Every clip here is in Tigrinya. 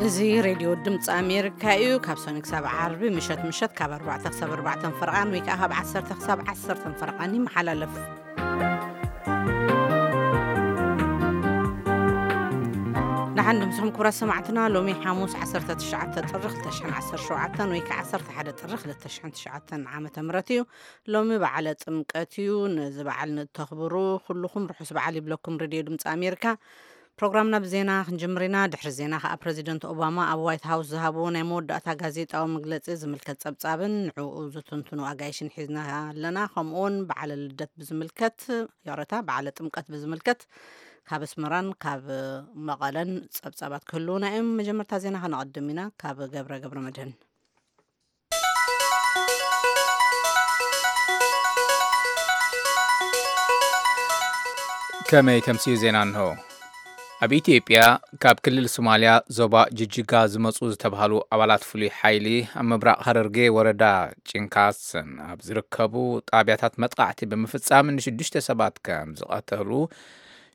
እዚ ሬድዮ ድምፂ ኣሜሪካ እዩ። ካብ ሰኒ ክሳብ ዓርቢ ምሸት ምሸት ካብ ኣርባዕተ ክሳብ ኣርባዕተን ፈርቓን ወይ ከዓ ካብ ዓሰርተ ክሳብ ዓሰርተን ፈርቓን ይመሓላለፍ። ንሓን ድምፅኹም ክቡራት ሰማዕትና፣ ሎሚ ሓሙስ ዓሰርተ ትሽዓተ ጥሪ ክልተ ሽሕን ዓሰርተ ሸውዓተን ወይ ከዓ ዓሰርተ ሓደ ጥሪ ክልተ ሽሕን ትሽዓተን ዓመተ ምህረት እዩ። ሎሚ በዓለ ጥምቀት እዩ። ነዚ በዓል ንተኽብሩ ኩልኹም ርሑስ በዓል ይብለኩም ሬድዮ ድምፂ ኣሜሪካ። ፕሮግራምና ብዜና ክንጅምር ኢና። ድሕሪ ዜና ከዓ ፕረዚደንት ኦባማ ኣብ ዋይት ሃውስ ዝሃብዎ ናይ መወዳእታ ጋዜጣዊ መግለፂ ዝምልከት ፀብፃብን ንዕኡ ዝትንትኑ ኣጋይሽን ሒዝና ኣለና። ከምኡውን በዓለ ልደት ብዝምልከት፣ ይቕረታ፣ በዓለ ጥምቀት ብዝምልከት ካብ ኣስመራን ካብ መቐለን ፀብፃባት ክህልውና እዮም። መጀመርታ ዜና ከነቐድም ኢና። ካብ ገብረ ገብረ መድህን። ከመይ ተምስዩ ዜና እንሆ። ኣብ ኢትዮጵያ ካብ ክልል ሶማልያ ዞባ ጅጅጋ ዝመጹ ዝተባህሉ ኣባላት ፍሉይ ሓይሊ ኣብ ምብራቕ ሃረርጌ ወረዳ ጭንካስን ኣብ ዝርከቡ ጣብያታት መጥቃዕቲ ብምፍጻም ንሽዱሽተ ሰባት ከም ዝቐተሉ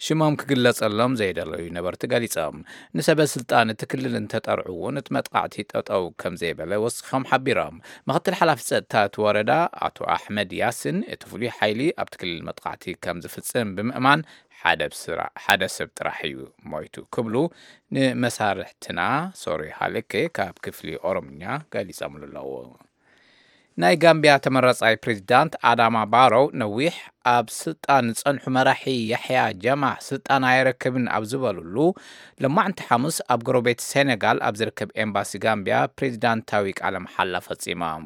ሽሞም ክግለጸሎም ዘይደለዩ ነበርቲ ገሊጾም። ንሰበ ስልጣን እቲ ክልል እንተጠርዑ እውን እቲ መጥቃዕቲ ጠጠው ከም ዘይበለ ወሲኾም ሓቢሮም። ምክትል ሓላፊ ጸጥታ እቲ ወረዳ ኣቶ ኣሕመድ ያስን እቲ ፍሉይ ሓይሊ ኣብቲ ክልል መጥቃዕቲ ከም ዝፍጽም ብምእማን ሓደ ብስራ-፣ ሓደ ሰብ ጥራሕ እዩ ሞይቱ ክብሉ ንመሳርሕትና ሶሪ ሃለኬ ካብ ክፍሊ ኦሮምኛ ገሊጾምሉ ኣለዉ። ናይ ጋምቢያ ተመረጻይ ፕሬዚዳንት ኣዳማ ባሮው ነዊሕ ኣብ ስልጣን ዝጸንሑ መራሒ ያሕያ ጃማህ ስልጣን ኣየረክብን ኣብ ዝበሉሉ፣ ሎማዕንቲ ሓሙስ ኣብ ጎረቤት ሴኔጋል ኣብ ዝርከብ ኤምባሲ ጋምቢያ ፕሬዚዳንታዊ ቃለ መሓላ ፈጺሞም።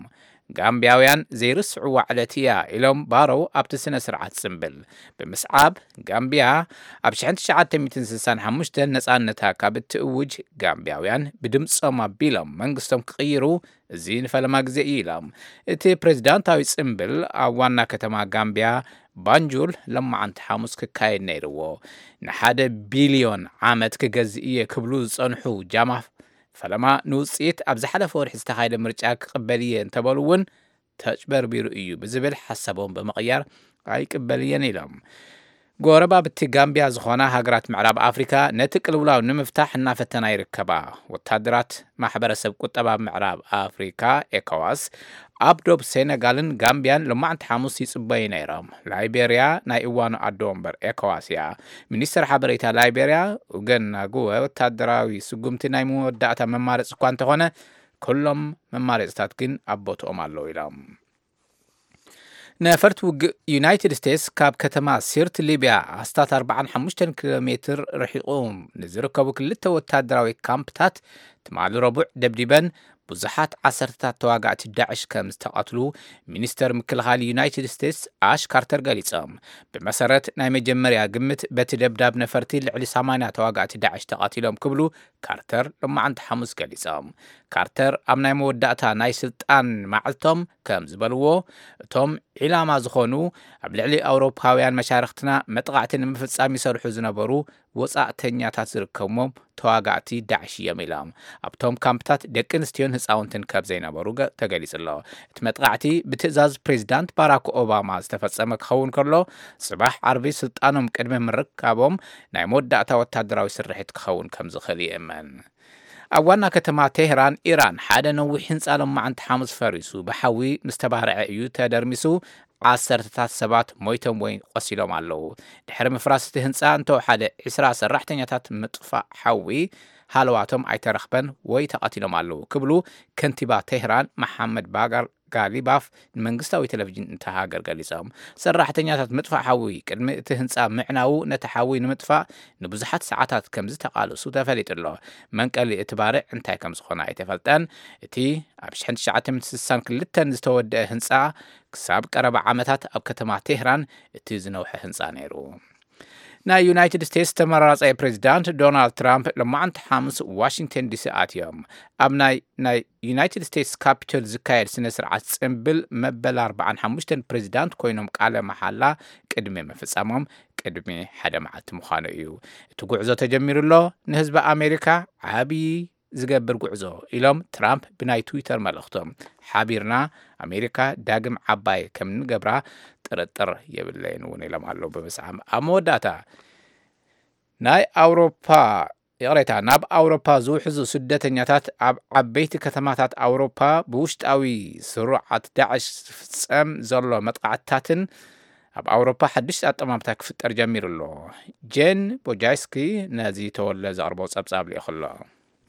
ጋምቢያውያን ዘይርስዕዋ ዕለት እያ ኢሎም ባሮው ኣብቲ ስነ ስርዓት ጽምብል ብምስዓብ፣ ጋምቢያ ኣብ ሽሕን ትሽዓተ ሚእትን ስሳን ሓሙሽተን ነጻነታ ካብ እትእውጅ፣ ጋምቢያውያን ብድምጾም ኣቢሎም መንግስቶም ክቕይሩ እዚ ንፈለማ ግዜ እዩ ኢሎም። እቲ ፕሬዚዳንታዊ ጽምብል ኣብ ዋና ከተማ ጋምቢያ ባንጁል ለማዓንቲ ሓሙስ ክካየድ ነይርዎ። ንሓደ ቢልዮን ዓመት ክገዝእ እየ ክብሉ ዝጸንሑ ጃማፍ ፈለማ ንውጽኢት ኣብ ዝሓለፈ ወርሒ ዝተኻየደ ምርጫ ክቕበል እየ እንተበሉ እውን ተጭበርቢሩ እዩ ብዝብል ሓሳቦም ብምቕያር ኣይቅበል እየን ኢሎም። ጎረባብቲ ጋምቢያ ዝኾና ሃገራት ምዕራብ ኣፍሪካ ነቲ ቅልውላው ንምፍታሕ እናፈተና ይርከባ። ወታደራት ማሕበረሰብ ቁጠባ ምዕራብ ኣፍሪካ ኤኮዋስ ኣብ ዶብ ሴነጋልን ጋምቢያን ሎማዕንቲ ሓሙስ ይጽበዩ ነይሮም። ላይቤርያ ናይ እዋኑ ኣዶ ወንበር ኤኮዋስ እያ። ሚኒስተር ሓበሬታ ላይቤርያ ኡገን ናጉወ ወታደራዊ ስጉምቲ ናይ መወዳእታ መማረፂ እኳ እንተኾነ ኩሎም መማረፅታት ግን ኣብ ቦትኦም ኣለዉ ኢሎም። ነፈርቲ ውግእ ዩናይትድ ስቴትስ ካብ ከተማ ሲርት ሊብያ ኣስታት ኣርባዓን ሓሙሽተን ኪሎ ሜትር ርሒቑ ንዝርከቡ ክልተ ወታደራዊ ካምፕታት ትማሊ ረቡዕ ደብዲበን ብዙሓት ዓሰርተታት ተዋጋእቲ ዳዕሽ ከም ዝተቐትሉ ሚኒስተር ምክልኻል ዩናይትድ ስቴትስ ኣሽ ካርተር ገሊጾም። ብመሰረት ናይ መጀመርያ ግምት በቲ ደብዳብ ነፈርቲ ልዕሊ ሰማንያ ተዋጋእቲ ዳዕሽ ተቐቲሎም ክብሉ ካርተር ሎማዓንቲ ሓሙስ ገሊጾም። ካርተር ኣብ ናይ መወዳእታ ናይ ስልጣን መዓልቶም ከም ዝበልዎ፣ እቶም ዒላማ ዝኾኑ ኣብ ልዕሊ ኣውሮፓውያን መሻርኽትና መጥቓዕቲ ንምፍጻም ይሰርሑ ዝነበሩ ወጻእተኛታት ዝርከብዎም ተዋጋእቲ ዳዕሽ እዮም ኢሎም። ኣብቶም ካምፕታት ደቂ ኣንስትዮን ህፃውንትን ከም ዘይነበሩ ገ-፣ ተገሊጹ ኣሎ። እቲ መጥቓዕቲ ብትእዛዝ ፕሬዚዳንት ባራክ ኦባማ ዝተፈጸመ ክኸውን ከሎ፣ ጽባሕ ዓርቢ ስልጣኖም ቅድሚ ምርካቦም ናይ መወዳእታ ወታደራዊ ስርሒት ክኸውን ከም ዝኽእል ይእመን። ኣብ ዋና ከተማ ቴህራን ኢራን ሓደ ነዊሕ ህንፃ ሎማዓንቲ ሓሙስ ፈሪሱ ብሓዊ ምስ ተባርዐ እዩ ተደርሚሱ። ዓሰርተታት ሰባት ሞይቶም ወይ ቆሲሎም ኣለዉ። ድሕሪ ምፍራስ እቲ ህንፃ እንተወሓደ ዕስራ ሰራሕተኛታት ምጥፋእ ሓዊ ሃለዋቶም ኣይተረኽበን ወይ ተቐቲሎም ኣለዉ ክብሉ ከንቲባ ቴህራን መሓመድ ባጋር ጋሊባፍ ንመንግስታዊ ቴሌቪዥን እታ ሃገር ገሊጾም። ሰራሕተኛታት ምጥፋእ ሓዊ ቅድሚ እቲ ህንፃ ምዕናዉ ነቲ ሓዊ ንምጥፋእ ንብዙሓት ሰዓታት ከም ዝተቓለሱ ተፈሊጡ ኣሎ። መንቀሊ እቲ ባርዕ እንታይ ከም ዝኾነ ኣይተፈልጠን። እቲ ኣብ ሽሕን ትሽዓተ ሚእትን ስሳን ክልተን ዝተወደአ ህንፃ ክሳብ ቀረባ ዓመታት ኣብ ከተማ ቴህራን እቲ ዝነውሐ ህንፃ ነይሩ። ናይ ዩናይትድ ስቴትስ ተመራጻይ ፕሬዚዳንት ዶናልድ ትራምፕ ሎማዓንቲ ሓሙስ ዋሽንግተን ዲሲ ኣትዮም። ኣብ ናይ፣ ናይ ዩናይትድ ስቴትስ ካፒቶል ዝካየድ ስነ ስርዓት ጽምብል መበል ኣርባዓን ሓሙሽተን ፕሬዚዳንት ኮይኖም ቃለ መሓላ ቅድሚ ምፍጻሞም ቅድሚ ሓደ መዓልቲ ምዃኑ እዩ። እቲ ጉዕዞ ተጀሚሩ ኣሎ፣ ንህዝቢ ኣሜሪካ ዓብዪ ዝገብር ጉዕዞ ኢሎም ትራምፕ ብናይ ትዊተር መልእኽቶም። ሓቢርና ኣሜሪካ ዳግም ዓባይ ከም ንገብራ ጥርጥር የብለይን እውን ኢሎም ኣለዉ ብምስዓም። ኣብ መወዳእታ ናይ ኣውሮፓ ይቕሬታ፣ ናብ ኣውሮፓ ዝውሕዙ ስደተኛታት ኣብ ዓበይቲ ከተማታት ኣውሮፓ ብውሽጣዊ ስሩዓት ዳዕሽ ዝፍጸም ዘሎ መጥቃዕትታትን ኣብ ኣውሮፓ ሓድሽ ኣጠማምታ ክፍጠር ጀሚሩ ኣሎ። ጄን ቦጃይስኪ ነዚ ተወለ ዘቕርቦ ጸብጻብ ልኢኹ ኣሎ።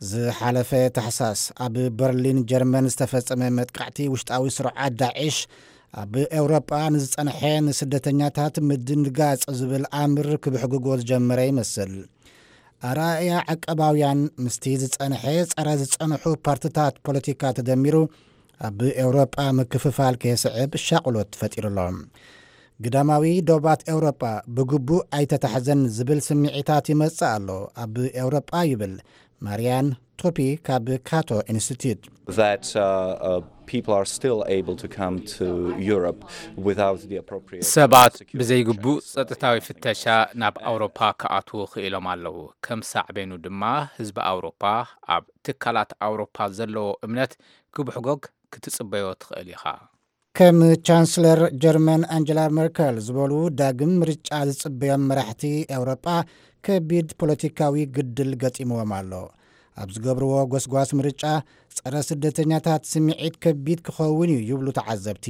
ዝሓለፈ ታሕሳስ ኣብ በርሊን ጀርመን ዝተፈጸመ መጥቃዕቲ ውሽጣዊ ስሩዓት ዳዕሽ ኣብ ኤውሮጳ ንዝጸንሐ ንስደተኛታት ምድንጋጽ ዝብል ኣምር ክብሕግጎ ዝጀመረ ይመስል። ኣረኣእያ ዓቀባውያን ምስቲ ዝጸንሐ ጸረ ዝጸንሑ ፓርትታት ፖለቲካ ተደሚሩ ኣብ ኤውሮጳ ምክፍፋል ከየስዕብ ሻቕሎት ፈጢሩ ኣሎ። ግዳማዊ ዶባት ኤውሮጳ ብግቡእ ኣይተታሕዘን ዝብል ስምዒታት ይመጽእ ኣሎ ኣብ ኤውሮጳ ይብል ማርያን ቶፒ ካብ ካቶ ኢንስቲትዩት። that uh, uh, people are still able to come to Europe without the appropriate ሰባት security ብዘይግቡእ checks. ጸጥታዊ ፍተሻ ናብ ኣውሮፓ ክኣትዉ ክኢሎም ኣለዉ። ከም ሳዕቤኑ ድማ ህዝቢ ኣውሮፓ ኣብ ትካላት ኣውሮፓ ዘለዎ እምነት ክብሕጎግ ክትጽበዮ ትኽእል ኢኻ። ከም ቻንስለር ጀርመን ኣንጀላ መርከል ዝበሉ ዳግም ምርጫ ዝጽበዮም መራሕቲ ኤውሮጳ ከቢድ ፖለቲካዊ ግድል ገጢምዎም ኣሎ። ኣብ ዝገብርዎ ጎስጓስ ምርጫ ጸረ ስደተኛታት ስምዒት ከቢድ ክኸውን እዩ ይብሉ ተዓዘብቲ።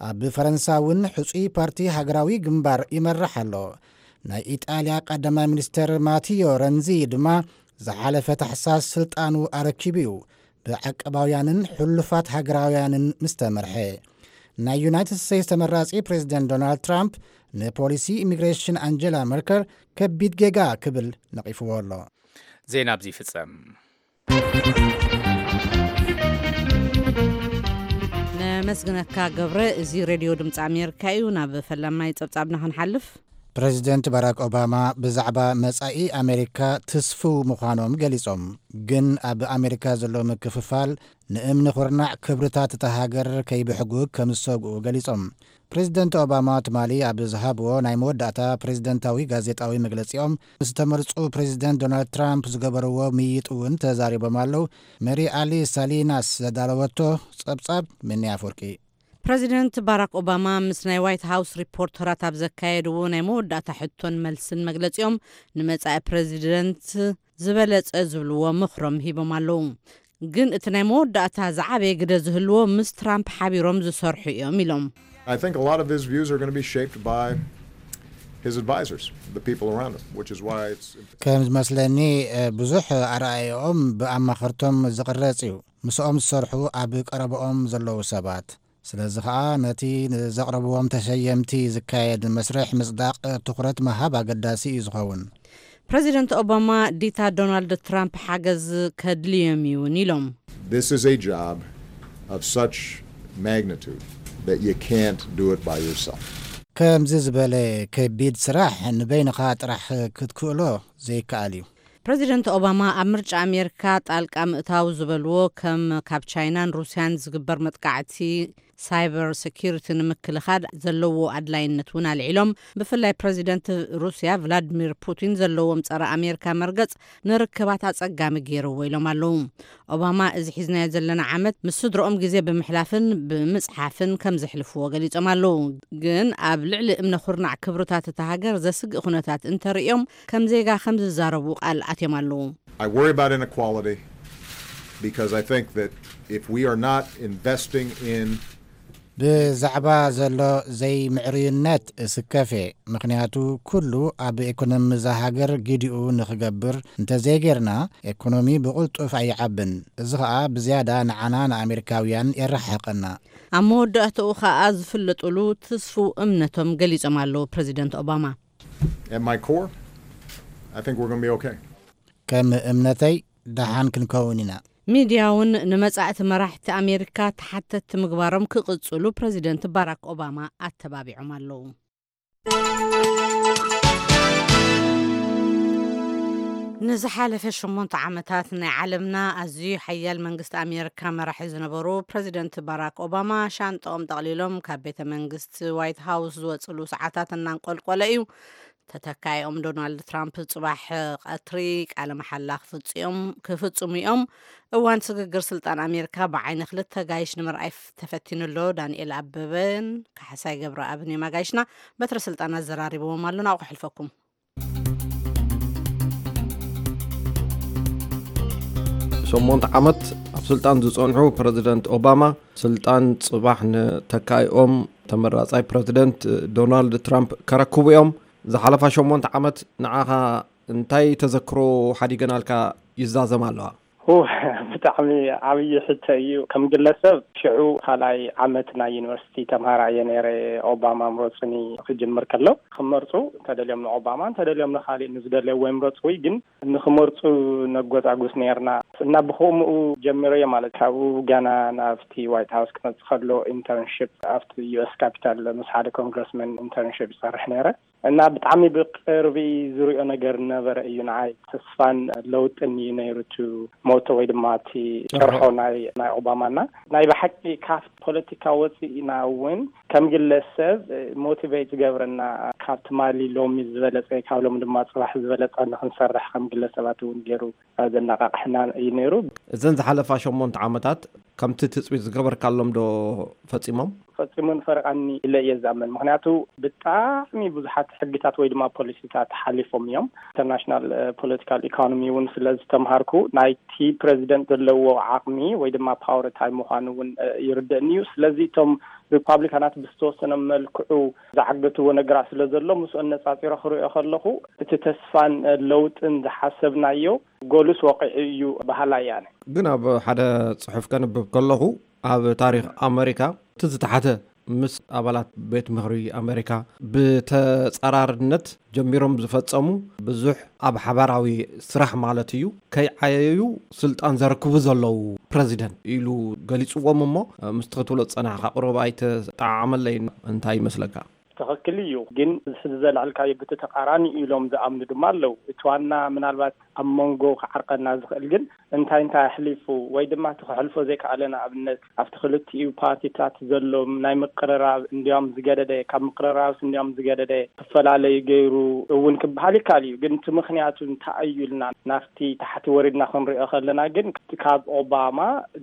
ኣብ ፈረንሳ እውን ሕጹይ ፓርቲ ሃገራዊ ግንባር ይመርሕ ኣሎ። ናይ ኢጣልያ ቀዳማይ ሚኒስተር ማቲዮ ረንዚ ድማ ዝሓለፈ ታሕሳስ ስልጣኑ ኣረኪቡ እዩ፣ ብዓቀባውያንን ሕሉፋት ሃገራውያንን ምስ ተመርሐ። ናይ ዩናይትድ ስቴትስ ተመራጺ ፕሬዚደንት ዶናልድ ትራምፕ ንፖሊሲ ኢሚግሬሽን ኣንጀላ መርከል ከቢድ ጌጋ ክብል ነቒፍዎ ኣሎ። ዜና ኣብዚ ይፍጸም። ነመስግነካ ገብረ። እዚ ሬድዮ ድምፂ ኣሜሪካ እዩ። ናብ ፈላማይ ጸብጻብና ክንሓልፍ። ፕሬዚደንት ባራክ ኦባማ ብዛዕባ መጻኢ ኣሜሪካ ትስፍው ምዃኖም ገሊጾም፣ ግን ኣብ ኣሜሪካ ዘሎ ምክፍፋል ንእምኒ ኩርናዕ ክብርታት እታ ሃገር ከይብሕጉግ ከም ዝሰግኡ ገሊጾም። ፕሬዚደንት ኦባማ ትማሊ ኣብ ዝሃብዎ ናይ መወዳእታ ፕሬዚደንታዊ ጋዜጣዊ መግለጺኦም፣ ምስ ተመርጹ ፕሬዚደንት ዶናልድ ትራምፕ ዝገበርዎ ምይይጥ እውን ተዛሪቦም ኣለዉ። ሜሪ ኣሊ ሳሊናስ ዘዳለወቶ ጸብጻብ ምኒ ኣፍወርቂ። ፕሬዚደንት ባራክ ኦባማ ምስ ናይ ዋይት ሃውስ ሪፖርተራት ኣብ ዘካየድዎ ናይ መወዳእታ ሕቶን መልስን መግለጺኦም፣ ንመጻኢ ፕሬዚደንት ዝበለጸ ዝብልዎ ምኽሮም ሂቦም ኣለዉ። ግን እቲ ናይ መወዳእታ ዝዓበየ ግደ ዝህልዎ ምስ ትራምፕ ሓቢሮም ዝሰርሑ እዮም ኢሎም። I think a lot of his views are going to be shaped by his advisors, the people around him, which is why it's ከም ዝመስለኒ፣ እ፣ ብዙሕ ኣረኣእያኦም ብኣማኸርቶም ዝቕረጽ እዩ። ምስኦም ዝሰርሑ ኣብ ቀረብኦም ዘለዉ ሰባት። ስለዚ ኸኣ ነቲ ንዘቕረብዎም ተሸየምቲ ዝካየድ መስርሕ ምጽዳቕ ትኹረት ምሃብ ኣገዳሲ እዩ ዝኸውን። ፕሬዚደንት ኦባማ ዲታ ዶናልድ ትራምፕ ሓገዝ ከድልዮም እዩን ኢሎም። This is a job of such magnitude that you can't do it by yourself. ከምዚ ዝበለ ከቢድ ስራሕ ንበይንኻ ጥራሕ ክትክእሎ ዘይከኣል እዩ። ፕሬዚደንት ኦባማ ኣብ ምርጫ ኣሜሪካ ጣልቃ ምእታው ዝበልዎ ከም ካብ ቻይናን ሩስያን ዝግበር መጥቃዕቲ ሳይበር ሴኪሪቲ ንምክልኻል ዘለዎ ኣድላይነት እውን ኣልዒሎም። ብፍላይ ፕሬዚደንት ሩስያ ቭላድሚር ፑቲን ዘለዎም ጸረ ኣሜሪካ መርገጽ ንርክባት ኣጸጋሚ ገይርዎ ኢሎም ኣለዉ። ኦባማ እዚ ሒዝናዮ ዘለና ዓመት ምስ ስድረኦም ግዜ ብምሕላፍን ብምጽሓፍን ከም ዘሕልፍዎ ገሊጾም ኣለዉ። ግን ኣብ ልዕሊ እምነ ኩርናዕ ክብርታት እታ ሃገር ዘስግእ ኩነታት እንተርእዮም ከም ዜጋ ከም ዝዛረቡ ቃል ኣትዮም ኣለዉ። I worry about inequality because I think that if we are not investing in ብዛዕባ ዘሎ ዘይምዕርዩነት እስከፍ እየ። ምኽንያቱ ኩሉ ኣብ ኢኮኖሚ እዛ ሃገር ግዲኡ ንኽገብር እንተዘይጌርና፣ ኢኮኖሚ ብቕልጡፍ ኣይዓብን። እዚ ኸኣ ብዝያዳ ንዓና ንኣሜሪካውያን የረሓሕቐና። ኣብ መወዳእታኡ ኸኣ ዝፍለጡሉ ትስፉው እምነቶም ገሊጾም ኣለዉ ፕሬዚደንት ኦባማ። At my core, I think we're going to be okay. ከም እምነተይ ደሓን ክንከውን ኢና። ሚድያ እውን ንመጻእቲ መራሕቲ ኣሜሪካ ተሓተትቲ ምግባሮም ክቕጽሉ ፕሬዚደንት ባራክ ኦባማ ኣተባቢዖም ኣለዉ። ንዝሓለፈ ሸሞንተ ዓመታት ናይ ዓለምና ኣዝዩ ሓያል መንግስቲ ኣሜሪካ መራሒ ዝነበሩ ፕሬዚደንት ባራክ ኦባማ ሻንጣኦም ጠቕሊሎም ካብ ቤተ መንግስቲ ዋይት ሃውስ ዝወፅሉ ሰዓታት እናንቆልቆለ እዩ። ተተካኢኦም ዶናልድ ትራምፕ ጽባሕ ቀትሪ ቃለ መሓላ ክፍጽዮም- ክፍጽሙ እዮም። እዋን ስግግር ስልጣን ኣሜሪካ ብዓይኒ ክልተ ጋይሽ ንምርኣይ ፍ- ተፈቲኑ ኣሎ። ዳንኤል ኣበበን ካሕሳይ ገብረኣብን እዮም ኣጋይሽና። በትረ ስልጣን ኣዘራሪብዎም ኣሎ። ናብኡ ክሕልፈኩም። ሸሞንተ ዓመት ኣብ ስልጣን ዝጸንሑ ፕረዚደንት ኦባማ፣ ስልጣን ጽባሕ ንተካኢኦም ተመራጻይ ፕረዚደንት ዶናልድ ትራምፕ ከረክቡ እዮም። ዝሓለፋ ሸሞንተ ዓመት ንዓኻ እንታይ ተዘክሮ ሓዲገናልካ ይዛዘም ኣለዋ? ሁ፣ ብጣዕሚ ዓብዪ ሕቶ እዩ። ከም ግለሰብ፣ ሽዑ ካልኣይ ዓመት ናይ ዩኒቨርሲቲ ተምሃራይ እየ ነይረ። ኦባማ ምረጹኒ ክጅምር ከሎ፣ ክመርጹ እንተደልዮም ንኦባማ፣ እንተደልዮም ንኻሊእ ንዝደልየዎ ይምረጹ። ወይ ግን ንኽመርጹ ነጎጻጉስ ነይርና። እና ብኸምኡ ጀሚረዮ ማለት፣ ካብኡ ገና ናብቲ ዋይት ሃውስ ክመጽእ ከሎ ኢንተርንሺፕ ኣብቲ ዩ ኤስ ካፒታል ምስ ሓደ ኮንግረስመን ኢንተርንሺፕ ይሰርሕ ነይረ። እና ብጣዕሚ ብቅርቢ ዝሪኦ ነገር ነበረ እዩ። ንዓይ ተስፋን ለውጥን እዩ ነይሩ፣ እቲ ሞቶ ወይ ድማ እቲ ጭርሖ። ጭርሖ ናይ፣ ናይ ኦባማ። እና ናይ ብሓቂ ካብ ፖለቲካ ወፂእና እውን ከም ግለሰብ ሞቲቬት ዝገብረና፣ ካብ ትማሊ ሎሚ ዝበለፀ፣ ካብ ሎሚ ድማ ፅባሕ ዝበለፀ ንክንሰርሕ ከም ግለሰባት እውን ገይሩ ዘነቃቅሕና እዩ ነይሩ። እዘን ዝሓለፋ ሸሞንተ ዓመታት ከምቲ ትፅቢት ዝገበርካሎም ዶ ፈፂሞም? ፈፂሙን ፈረቃኒ ኢለ እየ ዝኣምን። ምክንያቱ ብጣዕሚ ብዙሓት ሕግታት ወይ ድማ ፖሊሲታት ሓሊፎም እዮም። ኢንተርናሽናል ፖለቲካል ኢኮኖሚ እውን ስለ ዝተምሃርኩ፣ ናይቲ ፕረዚደንት ዘለዎ ዓቅሚ ወይ ድማ ፓወር እንታይ ምዃኑ እውን ይርደእኒ እዩ። ስለዚ እቶም ሪፓብሊካናት ብዝተወሰነ መልክዑ ዝዓገትዎ ነገራት ስለ ዘሎ፣ ምስኡ ኣነጻጺረ ክሪኦ ከለኹ፣ እቲ ተስፋን ለውጥን ዝሓሰብናዮ ጎልስ ወቂዑ እዩ በሃላይ እየ ኣነ። ግን ኣብ ሓደ ጽሑፍ ከንብብ ከለኹ፣ ኣብ ታሪኽ ኣመሪካ እቲ ዝተሓተ ምስ ኣባላት ቤት ምኽሪ ኣመሪካ ብተጻራርነት ጀሚሮም ዝፈጸሙ፣ ብዙሕ ኣብ ሓባራዊ ስራሕ ማለት እዩ፣ ከይዓየዩ ስልጣን ዘረክቡ ዘለዉ ፕረዚደንት ኢሉ ገሊጽዎም። እሞ ምስቲ ክትብሎ ዝጸናሕካ፣ ቁሩብ ኣይተጠዓዓመለይን። እንታይ ይመስለካ? ትኽክል እዩ። ግን እዚ ሕዚ ዘልዐልካዮ ብቲ ተቃራኒ ኢሎም ዝኣምኑ ድማ ኣለዉ። እቲ ዋና ምናልባት ኣብ መንጎ ክዓርቀና ዝኽእል ግን እንታይ እንታይ ኣሕሊፉ ወይ ድማ እቲ ክሕልፎ ዘይከኣለ፣ ንኣብነት ኣብቲ ክልቲኡ ፓርቲታት ዘሎ ናይ ምቅርራብ እንዲያውም ዝገደደ፣ ካብ ምቅርራብስ እንዲያውም ዝገደደ ክፈላለዩ ገይሩ እውን ክበሃል ይከኣል እዩ። ግን እቲ ምኽንያቱ እንታይ እዩ ኢልና ናብቲ ታሕቲ ወሪድና ክንሪኦ ከለና ግን፣ ካብ ኦባማ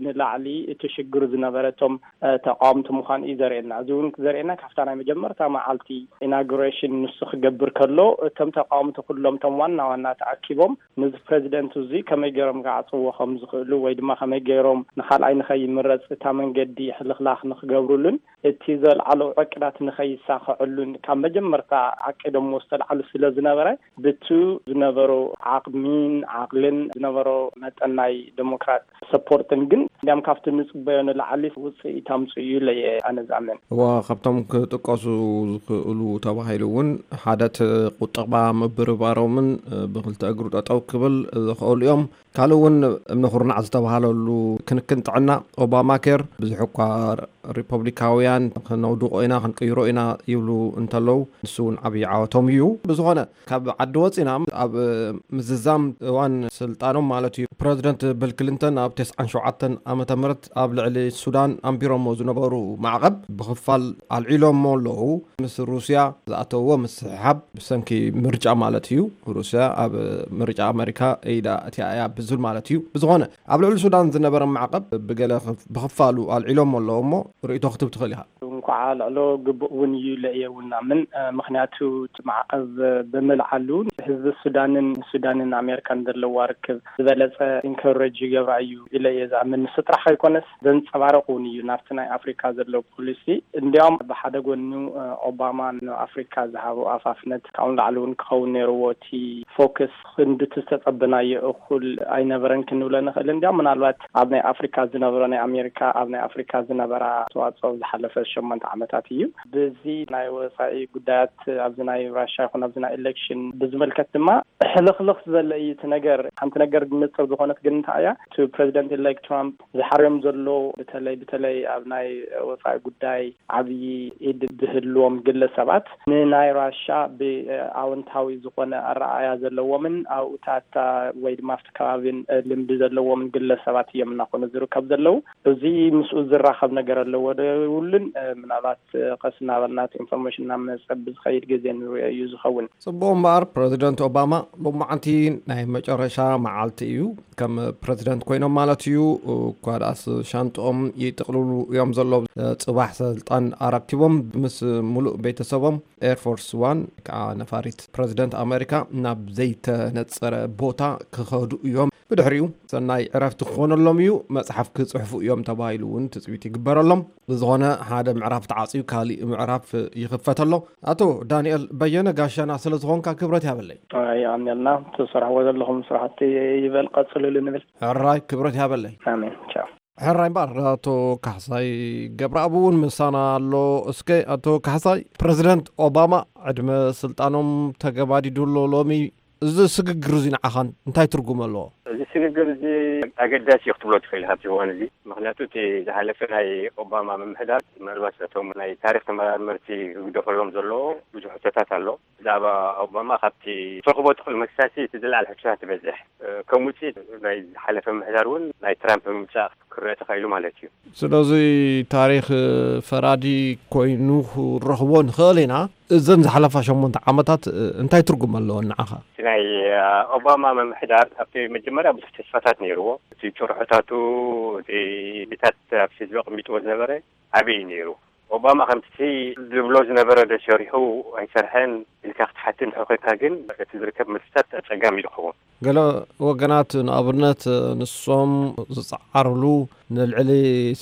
ንላዕሊ እቲ ሽግር ዝነበረ እቶም እ፣ ተቃወምቲ ምዃኑ እዩ ዘርእየና። እዚ እውን ዘርእየና ካብታ ናይ መጀመርታ መዓልቲ ኢናጉሬሽን ንሱ ክገብር ከሎ፣ እቶም ተቃወምቲ ኩሎም እቶም ዋና ዋና ተኣኪቦም ነዚ ፕረዚደንት እዚ ከመይ ገይሮም ክዓጽዎ ከም ዝኽእሉ ወይ ድማ ከመይ ገይሮም ንኻልኣይ ንኸይምረጽ እታ መንገዲ ሕልኽላኽ ንክገብሩሉን እቲ ዘልዓሎ ዕቅዳት ንኸይሳኸዐሉን ካብ መጀመርታ ዓቂዶምዎ ዝተልዓሉ ስለ ዝነበረ፣ ብቱ ዝነበሮ ዓቕሚን ዓቕልን ዝነበሮ መጠን ናይ ዴሞክራት ሰፖርትን ግን እንዲያም ካብቲ ንጽበዮ ንላዕሊ ውጽኢት ኣምጽኡ እዩ ኢለ እየ ኣነ ዝኣምን። እዋ፣ ካብቶም ክጥቀሱ ዝኽእሉ ተባሂሉ እውን ሓደ እቲ ቁጠባ ምብርባሮምን ብክልተ እግሩ ጠጠው ክብል ዝኽእሉ እዮም። ካልእ እውን እምኒ ኩርናዕ ዝተባሃለሉ ክንክን ጥዕና ኦባማ ኬር ብዙሕ እኳ ሪፐብሊካውያን ክነውድቆ ኢና ክንቅይሮ ኢና ይብሉ እንተለዉ፣ ንሱ እውን ዓብዪ ዓወቶም እዩ። ብዝኾነ፣ ካብ ዓዲ ወፂና ኣብ ምዝዛም እዋን ስልጣኖም ማለት እዩ፣ ፕረዚደንት ቢል ክሊንተን ኣብ ተስዓን ሸውዓተን ዓመተ ምህረት ኣብ ልዕሊ ሱዳን ኣንቢሮሞ ዝነበሩ ማዕቐብ ብኽፋል ኣልዒሎሞ ኣለዉ። ምስ ሩስያ ዝኣተውዎ ምስሕሓብ ብሰንኪ ምርጫ ማለት እዩ። ሩስያ ኣብ ምርጫ ኣመሪካ ኢዳ እቲኣ እያ ብዝብል ማለት እዩ። ብዝኾነ፣ ኣብ ልዕሊ ሱዳን ዝነበረ ማዕቐብ ብገለ ክፍ-፣ ብኽፋሉ ኣልዒሎሞ ኣለዉ እሞ ርእይቶ ክትብ ትኽእል ኢኻ። እንኳዓ ልዕሎ ግቡእ እውን እዩ ኢለ እየ እውን ኣምን። እ፣ ምኽንያቱ እቲ ማዕቐብ ብምልዓሉ ህዝቢ ሱዳንን ሱዳንን ኣሜሪካን ዘለዋ ርክብ ዝበለጸ ኢንከረጅ ይገብራ እዩ ኢለ እየ ዝኣምን። ንሱ ጥራሕ ከይኮነስ ዘንጸባርቕ እውን እዩ ናብቲ ናይ ኣፍሪካ ዘሎ ፖሊሲ። እንዲያውም ብሓደ ጎኑ፣ እ፣ ኦባማ ንኣፍሪካ ዝሃቦ ኣፋፍነት ካብኡ ንላዕሊ እውን ክኸውን ነይርዎ። እቲ ፎከስ ክንዲ እቲ ዝተጸበናዮ እኹል ኣይነበረን ክንብሎ ንኽእል። እንዲያውም ምናልባት ኣብ ናይ ኣፍሪካ ዝነበሮ ናይ ኣሜሪካ ኣብ ናይ ኣፍሪካ ዝነበራ ኣስተዋጽኦ ዝሓለፈ ሸሞንተ ዓመታት እዩ። በዚ ናይ ወጻኢ ጉዳያት ኣብዚ ናይ ራሻ ይኹን ኣብዚ ናይ ኤሌክሽን ብዝምልከት ድማ ሕልኽልኽ ዝበለ እዩ እቲ ነገር። ሓንቲ ነገር ንጽር ዝኾነት ግን እንታይ እያ? እቲ ፕረዚደንት ኢሌክት ትራምፕ ዝሓርዮም ዘሎ በተለይ፣ በተለይ ኣብ ናይ ወጻኢ ጉዳይ ዓብዪ ኢድ ዝህልዎም ግለሰባት ንናይ ራሻ ብኣወንታዊ ዝኾነ ኣረኣእያ ዘለዎምን ኣብኡታታ ወይ ድማ ኣብቲ ከባቢን ልምዲ ዘለዎምን ግለሰባት እዮም እናኾኑ ዝርከብ ዘለዉ። እዚ ምስኡ ዝራኸብ ነገር ኣለዎ ዶ የብሉን? ምናልባት ቀስ እናበልና እቲ ኢንፎርሜሽን እናመጸ ብዝኸይድ ግዜ ንሪኦ እዩ ዝኸውን። ጽቡቕ እምበኣር፣ ፕረዚደንት ኦባማ ሎማዓንቲ ናይ መጨረሻ መዓልቲ እዩ። ከም ፕረዚደንት ኮይኖም ማለት እዩ። እኳ ደኣስ ሻንጥኦም ይጥቕልሉ እዮም ዘለዉ። ጽባሕ ስልጣን ኣረኪቦም ምስ ሙሉእ ቤተሰቦም ኤርፎርስ ዋን፣ ከዓ ነፋሪት ፕረዚደንት ኣመሪካ፣ ናብ ዘይተነጸረ ቦታ ክኸዱ እዮም። ብድሕሪኡ ሰናይ ዕረፍቲ ክኾነሎም እዩ፣ መጽሓፍ ክጽሕፉ እዮም ተባሂሉ እውን ትጽቢት ይግበረሎም። ብዝኾነ ሓደ ምዕራፍ ተዓጽዩ ካሊእ ምዕራፍ ይኽፈት ኣሎ። ኣቶ ዳንኤል በየነ ጋሻና ስለ ዝኾንካ ክብረት ያበለይ። የቐንየልና። ትሰርሕዎ ዘለኹም ስራሕቲ ይበል ቀጽልሉ ንብል። ሕራይ ክብረት ያበለይ። ኣሜን። ቻው። ሕራይ እምበኣር ኣቶ ካሕሳይ ገብረኣብ እውን ምሳና ኣሎ። እስከ ኣቶ ካሕሳይ፣ ፕረዚደንት ኦባማ ዕድመ ስልጣኖም ተገባዲዱ ኣሎ ሎሚ። እዚ ስግግር እዚ ንዓኻን እንታይ ትርጉም ኣለዎ? እዚ ስግግር እዚ ኣገዳሲ እዩ ክትብሎ ትኽእል ኢኻ ኣብዚ እዋን እዚ። ምኽንያቱ እቲ ዝሓለፈ ናይ ኦባማ ምምሕዳር ምናልባት ነቶም ናይ ታሪኽ ተመራመርቲ ክግደፈሎም ዘለዎ ብዙሕ ሕቶታት ኣሎ። ብዛዕባ ኦባማ ካብቲ ትረኽቦ ትኽእል መልስታት እቲ ዝለዓለ ሕቶታት ትበዝሕ። ከም ውፅኢት ናይ ዝሓለፈ ምምሕዳር እውን ናይ ትራምፕ ምምፃእ ክረአ ተኻኢሉ ማለት እዩ። ስለዚ ታሪኽ ፈራዲ ኮይኑ ክረኽቦ ንኽእል ኢና። እዘን ዝሓለፋ ሸሞንተ ዓመታት እንታይ ትርጉም ኣለወን ንዓኻ? እቲ ናይ ኦባማ ምምሕዳር ኣብቲ መጀመርያ ብዙሕ ተስፋታት ነይርዎ። እቲ ጭርሖታቱ፣ እቲ ታት ኣብ ህዝቢ ኣቐሚጥዎ ዝነበረ ዓብዪ እዩ ነይሩ። ኦባማ ከምቲ ዝብሎ ዝነበረ ዶ ሰሪሑ ኣይሰርሐን ኢልካ ክትሓትን እንድሕር ኮይንካ ግን እቲ ዝርከብ መልስታት ኣጸጋሚ እዩ ዝኸውን። ገለ ወገናት ንኣብነት ንሶም ዝጸዓርሉ ንልዕሊ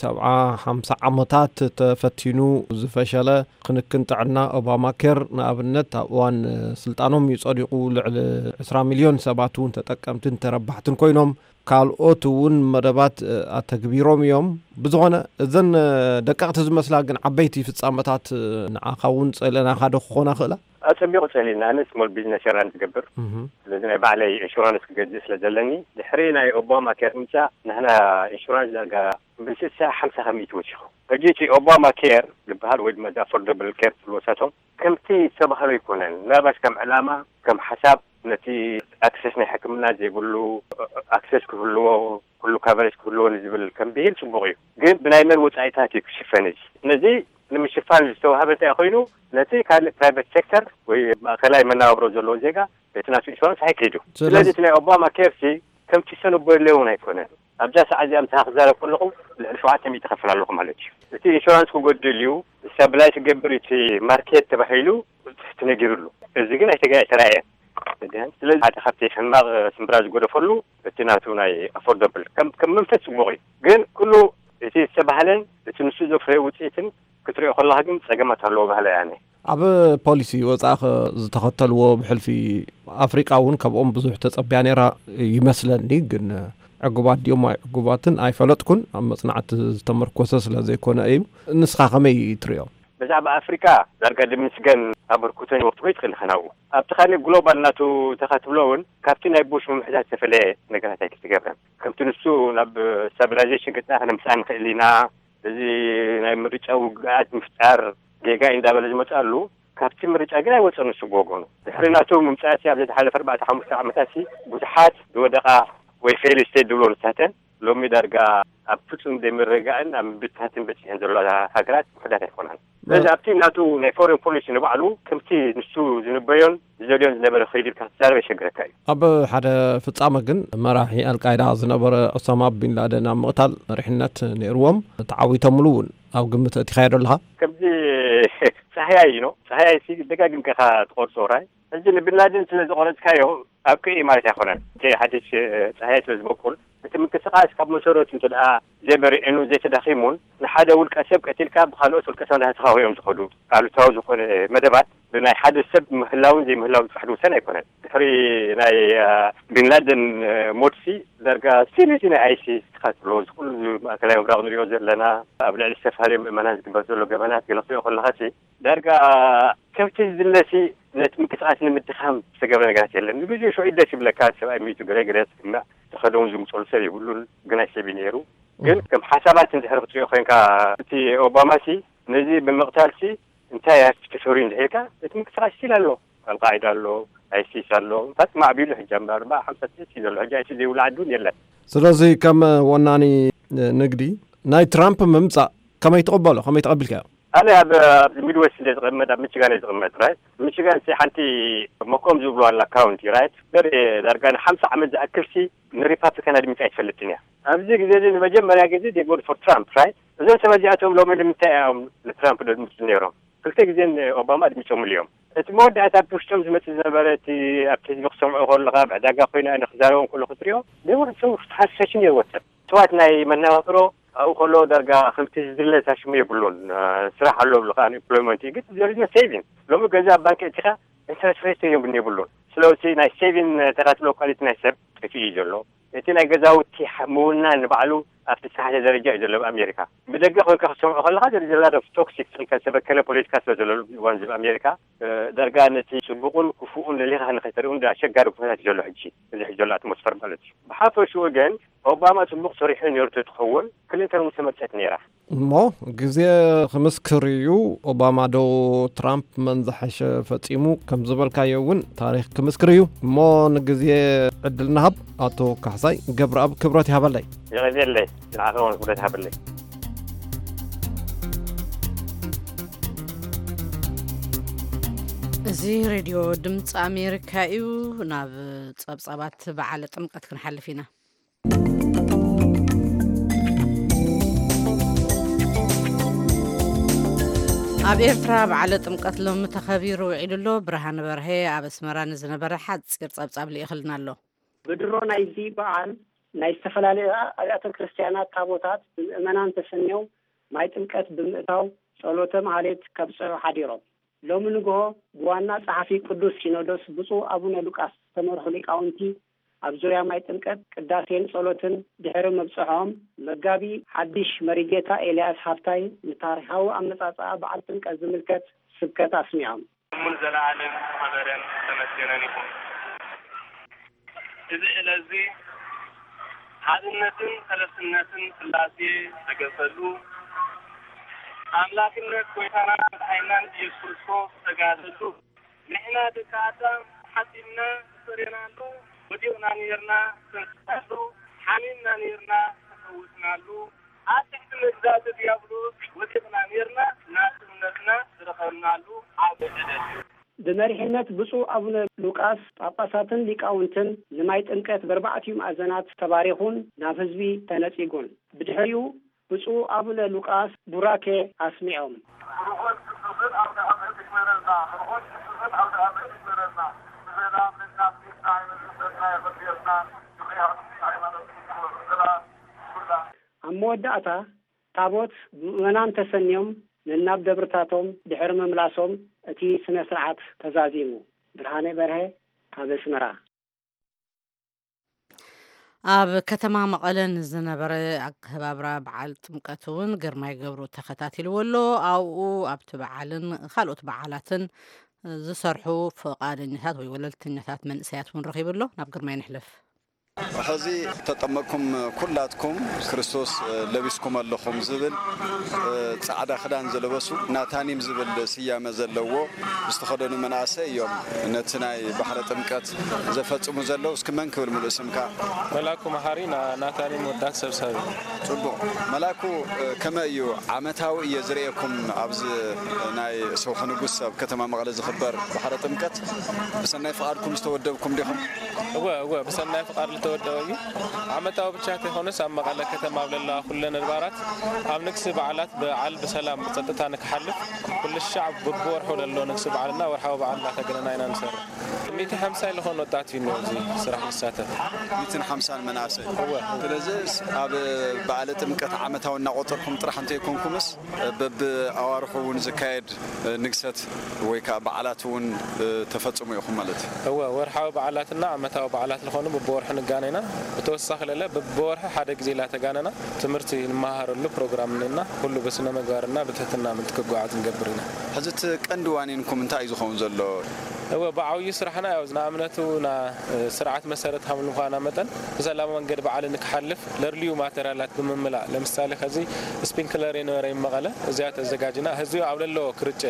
ሰብዓ ሓምሳ ዓመታት ተፈቲኑ ዝፈሸለ ክንክን ጥዕና ኦባማ ኬር ንኣብነት ኣብ እዋን ስልጣኖም እዩ ጸዲቑ። ልዕሊ ዕስራ ሚልዮን ሰባት እውን ተጠቀምትን ተረባሕትን ኮይኖም። ካልኦት እውን መደባት ኣተግቢሮም እዮም። ብዝኾነ እዘን ደቀቕቲ ዝመስላ ግን ዓበይቲ ፍጻመታት ንዓኻ እውን ጸለናኻ ዶ ክኾና ክእላ? ኣጸቢቑ ጸሊና። ኣነ ስሞል ቢዝነስ ራን ዝገብር። ስለዚ ናይ ባዕለይ ኢንሹራንስ ክገዝእ ስለ ዘለኒ ድሕሪ ናይ ኦባማ ኬር ምምጻእ ንሕና ኢንሹራንስ ዳርጋ ብስሳ ሓምሳ ከሚእቲ ወሲኹ። ሕጂ እቲ ኦባማ ኬር ዝበሃል ወይ ድማ ኣፎርደብል ኬር ትብልዎ ሳቶም ከምቲ ዝተባህሎ ኣይኮነን። ምናልባሽ ከም ዕላማ ከም ሓሳብ ነቲ ኣክሰስ ናይ ሕክምና ዘይብሉ ኣክሰስ ክህልዎ ኩሉ ካቨሬጅ ክህልዎ ንዝብል ከም ብሂል ጽቡቕ እዩ። ግን ብናይ መን ወጻኢታት እዩ ክሽፈን እዚ? ነዚ ንምሽፋን ዝተዋህበ እንታይ ኮይኑ ነቲ ካልእ ፕራይቬት ሴክተር ወይ ማእከላይ መናባብሮ ዘለዎ ዜጋ እቲ ናቱ ኢንሹራንስ ኣይክሂዱ። ስለዚ እቲ ናይ ኦባማ ኬርሲ ከምቲ ሰነቦ የለ እውን ኣይኮነን። ኣብዛ ሰዓት እዚኣ ምሳኻ ክዛረብ ከለኹ ልዕሊ ሸውዓተ ሚእቲ ከፍል ኣለኹ ማለት እዩ። እቲ ኢንሹራንስ ክጎድል እዩ፣ ስታብላይዝ ክገብር እቲ ማርኬት ተባሂሉ ተነጊሩሉ። እዚ ግን ኣይተገ ኣይተራእየን። ስለዚ ሓደ ካብቲ ሕማቕ ስምብራ ዝጎደፈሉ እቲ ናቱ ናይ ኣፎርደብል ከም ከም መንፈስ ጽቡቕ እዩ። ግን ኩሉ እቲ ዝተባህለን እቲ ንሱ ዘፍረዮ ውፅኢትን ክትሪኦ ከለኻ ግን ጸገማት ኣለዎ ባህለ ያነ። ኣብ ፖሊሲ ወጻኢ ዝተኸተልዎ ብሕልፊ ኣፍሪቃ እውን ካብኦም ብዙሕ ተጸቢያ ነይራ ይመስለኒ። ግን ዕጉባት ድዮም ኣይዕጉባትን ኣይፈለጥኩን። ኣብ መጽናዕቲ ዝተመርኮሰ ስለ ዘይኮነ እዩ። ንስኻ ከመይ ትሪኦ? ብዛዕባ ኣፍሪቃ ዳርጋ ድምስገን ኣበርክቶ ይወርትጎ ይትኽእል ንኸናኡ ኣብቲ ካልእ ግሎባል ናቱ ተኻትብሎ እውን ካብቲ ናይ ቡሽ ምምሕዳር ዝተፈለየ ነገራት ኣይክትገብረን። ከምቲ ንሱ ናብ ስታብላይዜሽን ገጽና ከነምጽኣ ንኽእል ኢና። እዚ ናይ ምርጫ ውግኣት ምፍጣር ጌጋ እዩ እንዳበለ ዝመጽኣሉ ካብቲ ምርጫ ግን ኣይወጸን። ንሱ ብወገኑ ድሕሪ ናቱ ምምጻእሲ ኣብ ዝሓለፈ ኣርባዕተ ሓሙሽተ ዓመታትሲ ብዙሓት ዝወደቓ ወይ ፌል ስቴት ዝብሎ ንሳተን ሎሚ ዳርጋ ኣብ ፍጹም ዘይምርግጋእን ኣብ ምብትታትን በጺሐን ዘለዋ ሃገራት ውሕዳት ኣይኮናን። ስለዚ ኣብቲ ናቱ ናይ ፎሬን ፖሊሲ ንባዕሉ ከምቲ ንሱ ዝንበዮን ዝደልዮን ዝነበረ ከይዱ ኢልካ ክትዛረብ የሸግረካ እዩ። ኣብ ሓደ ፍጻመ ግን መራሒ ኣልቃይዳ ዝነበረ ኦሳማ ቢንላደን ኣብ ምቕታል መሪሕነት ነይርዎም። ተዓዊቶምሉ እውን ኣብ ግምት ኣእቲኻዮ ዶ ኣለኻ? ከምዚ ጻህያይ እዩ ነው። ጻህያይ ሲ ደጋጊምካ ኢኻ ትቖርጾ ራይ። ሕጂ ንቢንላደን ስለ ዝቖረጽካዮ ኣብቅዕ እዩ ማለት ኣይኮነን። እቲ ሓድሽ ጻህያይ ስለ ዝበቁል እቲ ምንቅስቃስ ካብ መሰረቱ እንተ ደኣ ዘይበሪዕኑ ዘይተዳኺሙን ንሓደ ውልቀ ሰብ ቀቲልካ ብካልኦት ውልቀ ሰብ እንዳተኻወዮም ዝኸዱ ኣሉታዊ ዝኾነ መደባት ብናይ ሓደ ሰብ ምህላውን ዘይምህላውን ጥራሕ ዝውሰን ኣይኮነን። ድሕሪ ናይ ቢንላደን ሞትሲ ዳርጋ ስቲል እዚ ናይ ኣይሲስ ትካትሎ እዚ ኩሉ ማእከላይ ምብራቕ ንሪኦ ዘለና ኣብ ልዕሊ ዝተፈላለዩ ምእመናን ዝግበር ዘሎ ገበናት ገለ ክትሪኦ ከለኻ ሲ ዳርጋ ከምቲ ዝድለሲ ነቲ ምንቅስቃስ ንምድኻም ዝተገብረ ነገራት የለን። ንግዜኡ ሽዑ ደስ ይብለካ ሰብኣይ ሚቱ ገለ ገለ ትስምዕ ተኸደውን ዝምፀሉ ሰብ የብሉን። ግናይ ሰብ እዩ ነይሩ። ግን ከም ሓሳባት እንድሕር ክትሪኦ ኮይንካ እቲ ኦባማ ሲ ነዚ ብምቕታል ሲ እንታይ ኣፍቲ ተሰሪዩ እንድሕር ኢልካ እቲ ምንቅስቃስ ስቲል ኣሎ። ኣልቃዒዳ ኣሎ፣ ኣይሲስ ኣሎ። እንታይ ማዕቢሉ ሕጂ ኣብ ኣርባዓ ሓምሳ ስቴት እዩ ዘሎ። ሕጂ ኣይሲ ዘይብሉ ዓዲ እውን የለን። ስለዚ ከም ወናኒ ንግዲ ናይ ትራምፕ ምምፃእ ከመይ ትቕበሎ? ከመይ ተቐቢልካዮ? ኣነ ኣብ ኣብዚ ሚድወስት እንደ ዝቕመጥ ኣብ ሚችጋን እየ ዝቕመጥ ራይት። ሚችጋን ሲ ሓንቲ መኮም ዝብሉ ኣላ ካውንቲ ራይት። በሪ ዳርጋ ንሓምሳ ዓመት ዝኣክል ሲ ንሪፓብሊካን ኣድሚፃ ኣይትፈልጥን እያ። ኣብዚ ግዜ እዚ ንመጀመርያ ግዜ they vote for Trump right። እዞም ሰባት እዚኣቶም ሎሚ ንምንታይ እዮም ንትራምፕ ደድምፁ ነይሮም? ክልተ ግዜ ኦባማ ኣድሚፆምሉ እዮም። እቲ መወዳእታ ብውሽጦም ዝመፅእ ዝነበረ፣ እቲ ኣብቲ ህዝቢ ክሰምዑ ከለካ፣ ብዕዳጋ ኮይና ንክዛረቦም ከሎ ክትሪኦ፣ they were so fascinating። ወሰብ ሰባት ናይ መነባብሮ ኣብኡ ከሎ ዳርጋ ከምቲ ዝድለ እታ ሽሙ የብሉን። ስራሕ ኣሎ ብልካ፣ unemployment እዩ፣ ግን there is no saving። ሎሚ ገዛ ኣብ ባንክ እቲካ ኢንተረስት ሬት እዮም የብሉን። ስለዚ ናይ ሴቪን ተካትሎ ኳሊቲ ናይ ሰብ ጠፊኡ እዩ ዘሎ። እቲ ናይ ገዛውቲ ምውናን ንባዕሉ ኣብቲ ዝተሓተ ደረጃ እዩ ዘሎ ኣብ ኣሜሪካ። ብደገ ኮይንካ ክትሰምዖ ከለካ there is a lot of toxic፣ ዝተበከለ ፖለቲካ ስለ ዘሎ እዋን እዚ ኣብ ኣሜሪካ፣ ዳርጋ ነቲ ፅቡቁን ክፉኡን ለሊካ ንከይተርእዩ እንዳ ኣሸጋሪ ኩነታት እዩ ዘሎ ሕጂ፣ እዚ ሕጂ ዘሎ ኣትሞስፈር ማለት እዩ። ብሓፈሽኡ ግን ኦባማ ፅቡቅ ሰሪሑ ነይሩ ተትኸውን፣ ክሊንተን እውን ተመርፀት ነይራ። እሞ ግዜ ክምስክር እዩ። ኦባማ ዶ ትራምፕ መን ዝሓሸ ፈፂሙ ከም ዝበልካዮ እውን ታሪክ ክምስክር እዩ። እሞ ንግዜ ዕድል ንሃብ። ኣቶ ካሕሳይ ገብረኣብ ክብረት ይሃበለይ። የቐዜለይ። ንዓኸ እውን ክብረት ይሃበለይ። እዚ ሬድዮ ድምፂ ኣሜሪካ እዩ። ናብ ፀብፃባት በዓለ ጥምቀት ክንሓልፍ ኢና። ኣብ ኤርትራ በዓለ ጥምቀት ሎሚ ተኸቢሩ ውዒሉ ኣሎ። ብርሃነ በርሀ ኣብ ኣስመራ ንዝነበረ ሓጺር ጸብጻብ ልኢኽልና ኣሎ። ብድሮ ናይዚ በዓል ናይ ዝተፈላለዩ ኣብያተ ክርስቲያናት ታቦታት ብምእመናን ተሰንዮም ማይ ጥምቀት ብምእታው ጸሎተ ማህሌት ከብጽሑ ሓዲሮም። ሎሚ ንግሆ ብዋና ጸሓፊ ቅዱስ ሲኖዶስ ብፁዕ ኣቡነ ሉቃስ ዝተመርሑ ሊቃውንቲ ኣብ ዙርያ ማይ ጥምቀት ቅዳሴን ጸሎትን ድሕሪ ምብጽሖም፣ መጋቢ ሓድሽ መሪጌታ ኤልያስ ሃፍታይ ንታሪኻዊ ኣመጻጽኣ በዓል ጥምቀት ዝምልከት ስብከት ኣስሚዖም። እሙን ዘለዓለም ዝኸበረን ዝተመስገነን ይኹን። እዚ ዕለት እዚ ሓድነትን ሰለስትነትን ስላሴ ዝተገልጸሉ፣ ኣምላክነት ጎይታናን መድሓኒናን ኢየሱስ ክርስቶስ ዝተጋህሰሉ፣ ንሕና ደቂ ኣዳም ሓጢእና ተፈርየናሉ፣ ወዲቕና ነይርና ተንሲእናሉ፣ ሓሚምና ነይርና ተፈዊስናሉ፣ ኣብ ትሕቲ መግዛእቲ ዲያብሎስ ወዲቕና ነይርና ናጽነትና ዝረኸብናሉ ዓቢ ዕለት እዩ። ብመሪሕነት ብፁዕ ኣቡነ ሉቃስ ጳጳሳትን ሊቃውንትን ንማይ ጥምቀት በርባዕቲኡ ማእዘናት ተባሪኹን ናብ ህዝቢ ተነጺጉን። ብድሕሪኡ ብፁዕ ኣቡነ ሉቃስ ቡራኬ ኣስሚዖም። ብርኹን ቅዱስን ኣውደ ዓመት ይግበረልና። ብርኹን ቅዱስን ኣውደ ዓመት ይግበረልና። ብሰላም ንናፍቅ ንዓይነ ዝሰናይ የቐድየልና። ብኽያት ሃይማኖት ይግበሩ። ሰላም ኩላ። ኣብ መወዳእታ ታቦት ብምእመናን ተሰንዮም ነናብ ደብርታቶም ድሕሪ ምምላሶም እቲ ስነ ስርዓት ተዛዚሙ። ብርሃነ በርሀ ካብ ኣስመራ። ኣብ ከተማ መቐለ ንዝነበረ ኣከባብራ በዓል ጥምቀት እውን ግርማይ ገብሩ ተኸታቲልዎ ኣሎ። ኣብኡ ኣብቲ በዓልን ካልኦት በዓላትን ዝሰርሑ ፍቓደኛታት ወይ ወለልተኛታት መንእሰያት እውን ረኺቡ ኣሎ። ናብ ግርማይ ንሕለፍ። ሕዚ ተጠመቅኩም ኩላትኩም ክርስቶስ ለቢስኩም ኣለኹም ዝብል ጻዕዳ ክዳን ዝለበሱ ናታኒም ዝብል ስያመ ዘለዎ ዝተኸደኑ መናእሰይ እዮም ነቲ ናይ ባሕረ ጥምቀት ዘፈጽሙ ዘለዉ። እስኪ መን ክብል ሙሉእ ስምካ? መላኩ መሓሪ፣ ና-፣ ናታኒም ወዳት ሰብሳቢ። ጽቡቕ። መላኩ፣ ከመይ እዩ? ዓመታዊ እየ ዝርእየኩም ኣብዚ ናይ ሰውሒ ንጉስ ኣብ ከተማ መቐለ ዝኽበር ባሕረ ጥምቀት። ብሰናይ ፍቓድኩም ዝተወደብኩም ዲኹም? እወ፣ እወ፣ ብሰናይ ፍቓድ ዝተወደበ እዩ። ዓመታዊ ብቻ ተይኮነስ ኣብ መቐለ ከተማ ኣብ ለለዋ ኩለን ኣድባራት ኣብ ንግሲ በዓላት በዓል ብሰላም ብጸጥታ ንክሓልፍ ኩሉ ሻዕ ብብወርሑ ለሎ ንግሲ በዓልና ወርሓዊ በዓል እናተገነና ኢና ንሰርሕ። ሚእቲ ሓምሳ ዝኾኑ ወጣት እዩ ኣብዚ ስራሕ ዝሳተፍ። ሚእትን ሓምሳን መናእሰይ። እወ። ስለዚ ኣብ በዓለ ጥምቀት ዓመታዊ እናቆጸርኩም ጥራሕ እንተይኮንኩምስ በብኣዋርሑ እውን ዝካየድ ንግሰት ወይ ከዓ በዓላት እውን ተፈጽሙ ኢኹም ማለት እዩ? እወ፣ ወርሓዊ በዓላትና ዓመታዊ በዓላት ዝኾኑ በብወርሑ ንጋነ ኢና። ብተወሳኺ ለለ በብወርሒ ሓደ ግዜ ላተጋነና ትምህርቲ ንመሃረሉ ፕሮግራም እኒና፣ ኩሉ ብስነ ምግባርና ብትሕትና ምእንቲ ክጓዓዝ ንገብር ኢና። ሕዚ እቲ ቀንዲ ዋኒንኩም እንታይ እዩ ዝኸውን ዘሎ? እወ፣ ብዓብዩ ስራሕና ያው ንኣብነቱ ና ስርዓት መሰረት ከም ምዃና መጠን ብሰላማዊ መንገዲ በዓል ንክሓልፍ ለድልዩ ማቴሪያላት ብምምላእ፣ ለምሳሌ ከዚ ስፒንክለር የነበረ መቐለ እዚኣ ተዘጋጅና ህዝቢ ኣብ ለለዎ ክርጨ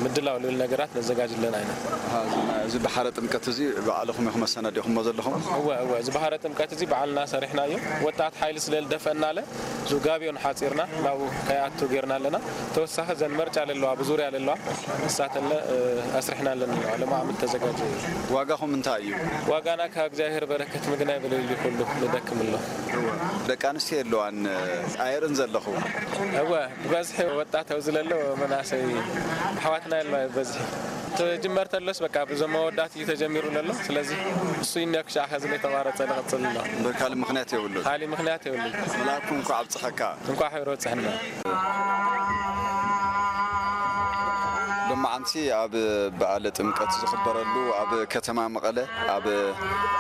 ምድላው ልብል ነገራት ነዘጋጅ ኣለና ኢና። ኣሃ፣ እዚ ባሕረ ጥምቀት እዚ ባዕልኹም ኢኹም መሰናዲኹሞ ዘለኹም? እወ እወ፣ እዚ ባህረ ጥምቀት እዚ ባዕልና ሰሪሕናዮ። ወጣት ሓይሊ ስለ ዝደፈእናለ፣ እዚ ጋብዮን ሓጺርና ናብኡ ከይኣቱ ጌርና ኣለና። ተወሳኺ እዘን መርጫ ለለዋ፣ ብዙርያ ለለዋ፣ ንሳተለ፣ እ፣ ኣስሪሕና ኣለና ኣለዋ። ለማዓመት ተዘጋጀ እዩ። ዋጋኹም እንታይ እዩ? ዋጋና ካብ እግዚኣብሔር በረከት ምግናይ ብልል ኩሉ ንደክም ኣሎ። ደቂ ኣንስትዮ የለዋን፣ ኣየርእን ዘለኹ? እወ፣ ብበዝሒ ወጣት ኣብዚ ለሎ መናእሰይ ኣሕዋትና የለዋ ብበዝሒ። ትጅመር ተሎስ በቃ ብዞም መወዳት እዩ ተጀሚሩ ለሎ። ስለዚ እሱ እዩ ክሻዕ ከዚ ላይ ተቋረጸ ንቐጽል ኣሎ። እምበር ካልእ ምኽንያት የብሉን። ካሊ ምኽንያት የብሉ። መልኣኩ እንኳዕ ኣብጽሐካ። እንኳዕ ሕብረ ወጽሕና። ሎማዓንቲ ኣብ በዓለ ጥምቀት ዝኽበረሉ ኣብ ከተማ መቐለ ኣብ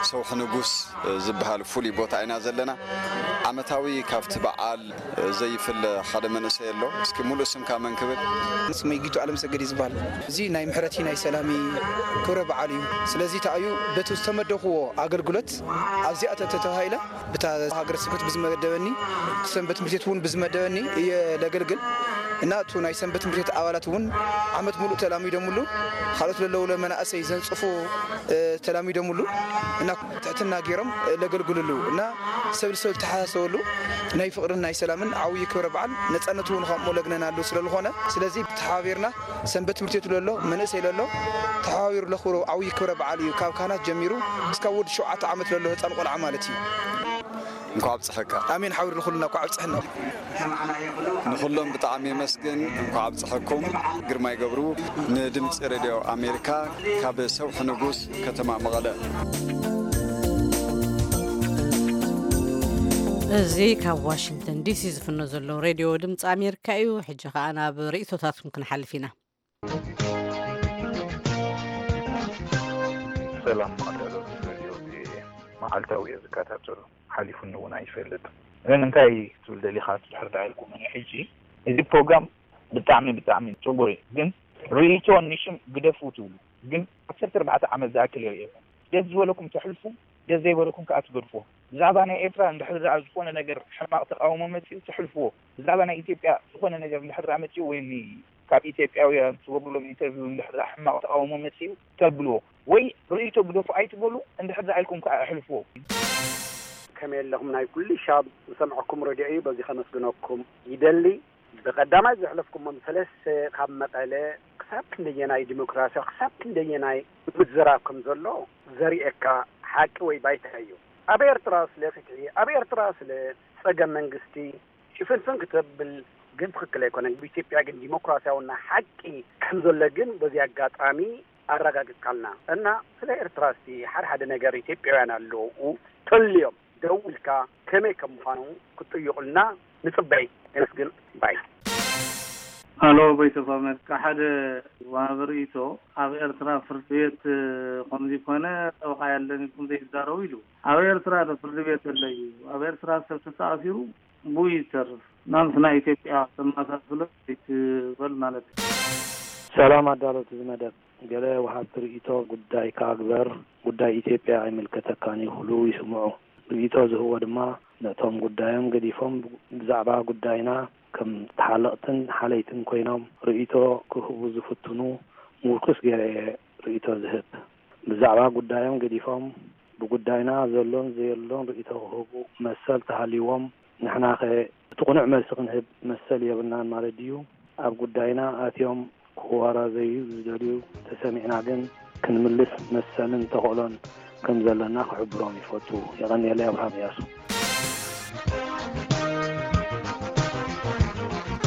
ሰውሒ ንጉስ ዝበሃል ፍሉይ ቦታ ኢና ዘለና። ዓመታዊ ካብቲ በዓል ዘይፍለ ሓደ መንእሰይ ኣሎ። እስኪ ሙሉእ ስምካ መን ክብል? ስመይ ጊቱ ኣለምሰገድ እዩ ዝበሃል። እዚ ናይ ምሕረቲ ናይ ሰላሚ ክብረ በዓል እዩ። ስለዚ ተኣዩ በቲ ዝተመደኽዎ ኣገልግሎት ኣብዚኣ ተተባሂለ ብታ ሃገረ ስብከት ብዝመደበኒ ሰንበት ትምህርት ቤት እውን ብዝመደበኒ እየ ለገልግል እና እቱ ናይ ሰንበት ትምህርት ቤት ኣባላት እውን ዓመት ሙሉእ ተላሚዶምሉ ካልኦት ለለውለ መናእሰይ ዘንጽፉ እ፣ ተላሚዶምሉ እና ትሕትና ገይሮም ለገልግልሉ እና ሰብ ልሰብ ዝተሓሳሰበሉ ናይ ፍቕርን ናይ ሰላምን ዓብዪ ክብረ በዓል ነፃነት እውን ከምኡ ለግነናሉ ስለዝኾነ ስለዚ ተሓባቢርና ሰንበት ትምህርት ቤት ለሎ መንእሰይ ለሎ ተሓባቢሩ ለኽብሮ ዓብዪ ክብረ በዓል እዩ ካብ ካህናት ጀሚሩ እስካብ ወዲ ሸውዓተ ዓመት ለሎ ህፃን ቆልዓ ማለት እዩ። እንኳዕ ኣብፀሐካ። ኣሜን ሓውር ንኹልና እኳ ኣብፅሐና። ንኹሎም ብጣዕሚ የመስግን። እንኳዕ ኣብፀሐኩም። ግርማይ ገብሩ ንድምፂ ሬድዮ ኣሜሪካ ካብ ሰውሒ ንጉስ ከተማ መቐለ። እዚ ካብ ዋሽንግተን ዲሲ ዝፍኖ ዘሎ ሬድዮ ድምፂ ኣሜሪካ እዩ። ሕጂ ከኣ ናብ ርእይቶታትኩም ክንሓልፍ ኢና። ሰላም ማዕዳሎት ሬድዮ ቪኦኤ፣ መዓልታዊ እየ ዝከታተሎ፣ ሓሊፉኒ እውን ኣይፈልጥ። ግን እንታይ ክትብል ደሊኻ ትድሕር ዳኢልኩምኒ ሕጂ፣ እዚ ፕሮግራም ብጣዕሚ ብጣዕሚ ጽቡቅ እዩ፣ ግን ርእይቶ ንሽም ግደፉ ትብሉ፣ ግን ዓሰርተ ኣርባዕተ ዓመት ዝኣክል የርእየኩም። ደስ ዝበለኩም ተሕልፉ፣ ደስ ዘይበለኩም ከኣ ትገድፎ። ብዛዕባ ናይ ኤርትራ እንድሕር ዝኣ ዝኾነ ነገር ሕማቕ ተቃውሞ መጺኡ ተሕልፍዎ። ብዛዕባ ናይ ኢትዮጵያ ዝኾነ ነገር እንድሕር ዝኣ መጺኡ ወይ ኒ- ካብ ኢትዮጵያውያን ትገብሩሎም ኢንተርቪው እንድሕር ዝኣ ሕማቕ ተቃውሞ መጺኡ ተብልዎ። ወይ ርእይቶ ግደፉ ኣይትበሉ፣ እንድሕር ዝኣ ኢልኩም ከኣ ኣሕልፍዎ። ከመይ ኣለኹም ናይ ኩሉ ሻብ ዝሰምዐኩም ረድዮ እዩ በዚ ከመስግነኩም ይደሊ። ብቐዳማይ ዘሕለፍኩሞም ሰለስተ ካብ መቐለ ክሳብ ክንደየናይ ዲሞክራሲያዊ ክሳብ ክንደየናይ ምዝራብ ከም ዘሎ ዘርእየካ ሓቂ ወይ ባይታ እዩ። ኣብ ኤርትራ ስለ ፍትሒ ኣብ ኤርትራ ስለ ጸገም መንግስቲ ሽፍንፍን ክተብል ግን ትኽክል ኣይኮነን። ብኢትዮጵያ ግን ዲሞክራሲያውና ሓቂ ከም ዘሎ ግን በዚ ኣጋጣሚ ኣረጋግጽካልና እና ስለ ኤርትራ እስቲ ሓደ ሓደ ነገር ኢትዮጵያውያን ኣለዉ ተልዮም ደው ኢልካ ከመይ ከም ምዃኑ ክትጥይቑልና ንጽበይ። የመስግን ባይ። ኣሎ ቮይስ ኦፍ ኣሜሪካ ሓደ ወሃቢ ርእይቶ ኣብ ኤርትራ ፍርዲ ቤት ከምዚ ኮነ ጠበቃ ያለን ኢልኩም ዘይዛረቡ ኢሉ ኣብ ኤርትራ ዶ ፍርዲ ቤት ኣሎ እዩ ኣብ ኤርትራ ሰብ ተተኣሲሩ ብኡ እዩ ዝተርፍ ናምስ ናይ ኢትዮጵያ ተመሳስሎ ይትበል ማለት እዩ። ሰላም ኣዳለውቲ እዚ መደብ ገለ ወሃብቲ ርእይቶ ጉዳይ ከኣ ግበር ጉዳይ ኢትዮጵያ ኣይምልከተካን እዩ ክብሉ ይስምዑ ርእይቶ ዝህብዎ ድማ ነቶም ጉዳዮም ገዲፎም ብዛዕባ ጉዳይና ከም ተሓለቕትን ሓለይትን ኮይኖም ርእይቶ ክህቡ ዝፍትኑ ምውኩስ ገይረ እየ ርእይቶ ዝህብ። ብዛዕባ ጉዳዮም ገዲፎም ብጉዳይና ዘሎን ዘየሎን ርእይቶ ክህቡ መሰል ተሃልይዎም ንሕናኸ እቲ ቅኑዕ መልሲ ክንህብ መሰል የብልናን ማለት ድዩ? ኣብ ጉዳይና ኣትዮም ክወራዘዩ ዝደልዩ ተሰሚዕና ግን ክንምልስ መሰልን ተኽእሎን ከም ዘለና ክሕብሮም ይፈቱ። የቐንየለይ ኣብርሃም እያሱ።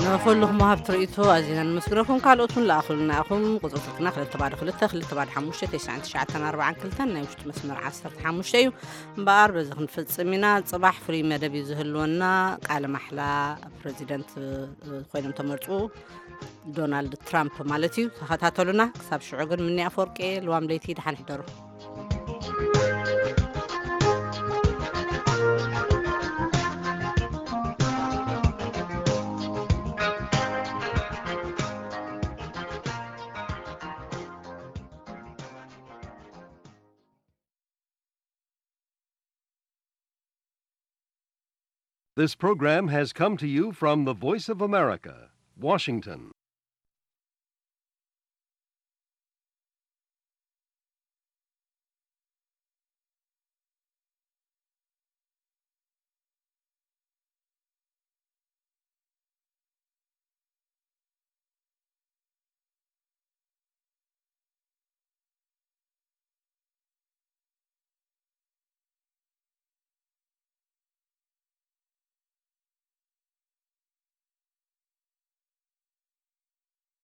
ንኹልኹም ወሃብቲ ርእይቶ ኣዚና ነመስግነኩም። ካልኦት እውን ለኣኹልና ኢኹም። ቁጽሪ ስልክና ክልተ ባዶ ክልተ ክልተ ባዶ ሓሙሽተ ተስዓን ትሽዓተን ኣርባዓን ክልተን ናይ ውሽጢ መስመር ዓሰርተ ሓሙሽተ እዩ። እምበኣር በዚ ክንፍጽም ኢና። ጽባሕ ፍሉይ መደብ እዩ ዝህልወና። ቃለ ማሕላ ፕረዚደንት ኮይኖም ተመርጹ ዶናልድ ትራምፕ ማለት እዩ። ተኸታተሉና። ክሳብ ሽዑ ግን ምኒ ኣፈወርቂ ልዋም ለይቲ ደሓን ሕደሩ። This program has come to you from the Voice of America, Washington.